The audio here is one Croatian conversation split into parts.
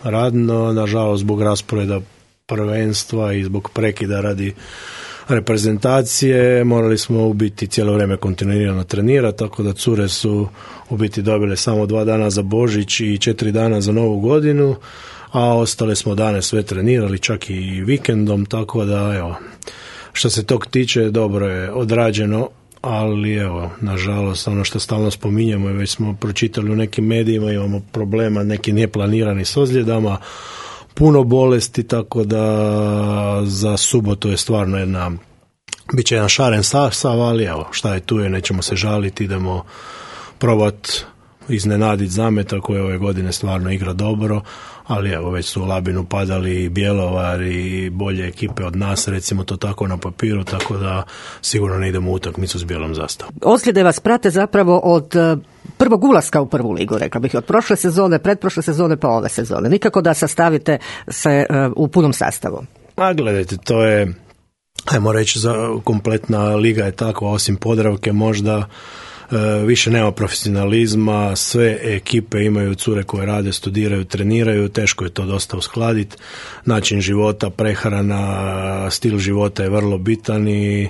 radno, nažalost zbog rasporeda prvenstva i zbog prekida radi reprezentacije morali smo u biti cijelo vrijeme kontinuirano trenirati, tako da cure su u biti dobile samo 2 dana za Božić i 4 dana za Novu godinu, a ostale smo dane sve trenirali, čak i vikendom, tako da evo, što se tog tiče dobro je odrađeno, ali evo, nažalost, ono što stalno spominjemo i već smo pročitali u nekim medijima, imamo problema, neki neplanirani s ozljedama, puno bolesti, tako da za subotu je stvarno bit će jedan šaren sastav, ali evo, šta je tu je, nećemo se žaliti, idemo probati iznenaditi Zameta koji ove godine stvarno igra dobro, ali evo, već su u Labinu padali i Bjelovar i bolje ekipe od nas, recimo to tako na papiru, tako da sigurno ne idemo u utakmicu s bijelom zastavom. Ozljede vas prate zapravo od prvog ulaska u prvu ligu, rekla bih, od prošle sezone, pretprošle sezone pa ove sezone. Nikako da sastavite se u punom sastavu. A gledajte, to je, ajmo reći, kompletna liga je takva, osim Podravke možda, više nema profesionalizma, sve ekipe imaju cure koje rade, studiraju, treniraju, teško je to dosta uskladiti. Način života, prehrana, stil života je vrlo bitan i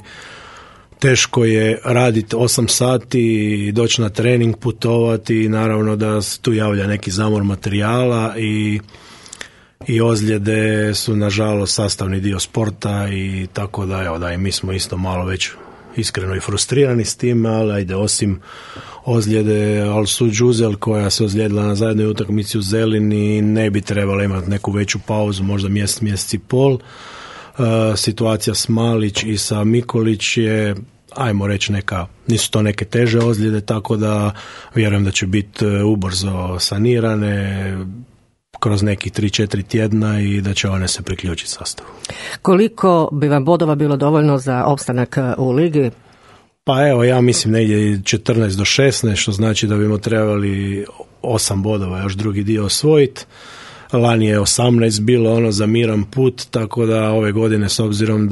teško je raditi 8 sati, doći na trening, putovati i naravno da se tu javlja neki zamor materijala i ozljede su nažalost sastavni dio sporta i tako da, evo, da i mi smo isto malo već iskreno i frustrirani s tim, ali ajde, osim ozljede Alsu Đuzel koja se ozlijedila na zajednoj utakmici u Zelini, ne bi trebala imati neku veću pauzu, možda mjesec i pol. Situacija s Malić i sa Mikolić je, ajmo reći, nisu to neke teže ozljede, tako da vjerujem da će biti ubrzo sanirane kroz nekih 3-4 tjedna i da će one se priključiti sastavu. Koliko bi vam bodova bilo dovoljno za opstanak u ligi? Pa evo, ja mislim negdje 14 do 16, što znači da bimo trebali 8 bodova još drugi dio osvojiti. Lani je 18 bilo za miran put, tako da ove godine, s obzirom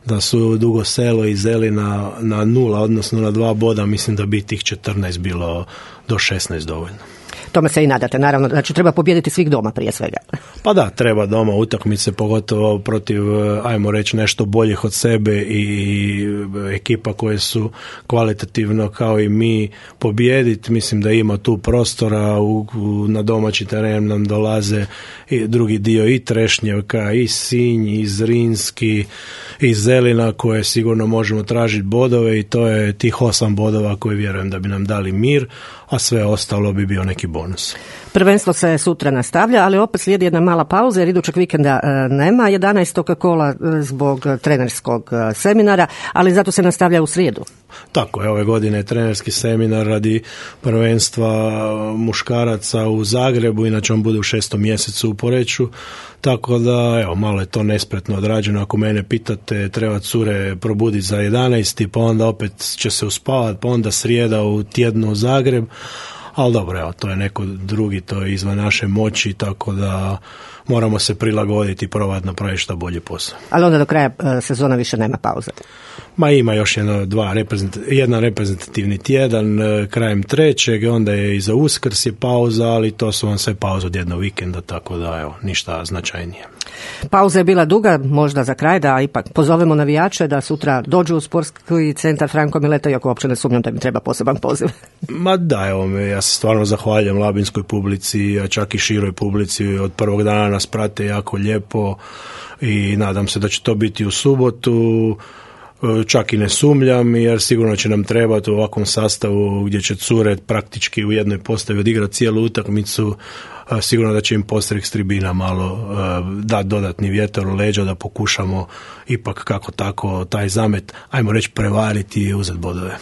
da su Dugo Selo i Zelina na 0, odnosno na 2 boda, mislim da bi tih 14 bilo do 16 dovoljno. Tome se i nadate, naravno, znači treba pobijediti svih doma prije svega. Pa da, treba doma utakmice, pogotovo protiv, ajmo reći, nešto boljih od sebe i ekipa koje su kvalitativno kao i mi pobijediti. Mislim da ima tu prostora, na domaći teren nam dolaze i drugi dio i Trešnjevka, i Sinj, i Zrinski, i Zelina, koje sigurno možemo tražiti bodove i to je tih 8 bodova koje vjerujem da bi nam dali mir, a sve ostalo bi bio neki bonus. Prvenstvo se sutra nastavlja, ali opet slijedi jedna mala pauza jer idućeg vikenda nema 11. kola zbog trenerskog seminara, ali zato se nastavlja u srijedu. Tako je, ove godine je trenerski seminar radi prvenstva muškaraca u Zagrebu, inače on bude u 6. mjesecu u Poreču, tako da evo, malo je to nespretno odrađeno. Ako mene pitate, treba cure probuditi za 11. pa onda opet će se uspavati, pa onda srijeda u tjednu u Zagreb, ali dobro, evo, to je neko drugi, to je izvan naše moći, tako da moramo se prilagoditi i probati napraviti što bolje posao. Ali onda do kraja sezona više nema pauze? Ma ima još jedan reprezentativni tjedan krajem 3. onda je i za Uskrs je pauza, ali to su vam sve pauze od jednog vikenda, tako da evo, ništa značajnije. Pauza je bila duga, možda za kraj da ipak pozovemo navijače da sutra dođu u sportski centar Franko Mileta, iako uopće ne sumnjam da mi treba poseban poziv. Ma da, evo, ja se stvarno zahvaljujem labinskoj publici, a čak i široj publici, od prvog dana nas prate jako lijepo i nadam se da će to biti u subotu. Čak i ne sumnjam, jer sigurno će nam trebati u ovakvom sastavu gdje će cure praktički u jednoj postavi odigrati cijelu utakmicu. Sigurno da će im postrek s tribina malo dati dodatni vjetar u leđa, da pokušamo ipak kako tako taj Zamet, ajmo reći, prevariti i uzeti bodove.